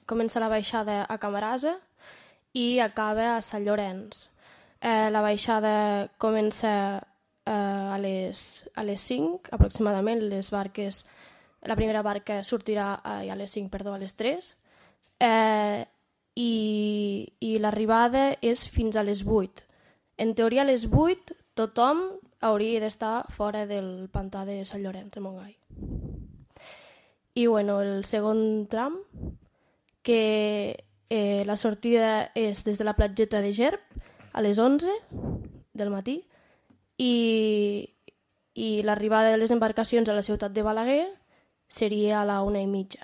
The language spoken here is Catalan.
comença la baixada a Camarasa i acaba a Sant Llorenç. La baixada comença a les 5 aproximadament, la primera barca sortirà a les 5, perdó, a les 3, i l'arribada és fins a les 8. En teoria a les 8 tothom hauria d'estar fora del pantà de Sant Llorenç de Montgai. I bueno, el segon tram, que la sortida és des de la platgeta de Gerb a les 11 del matí i l'arribada de les embarcacions a la ciutat de Balaguer seria a la 1:30.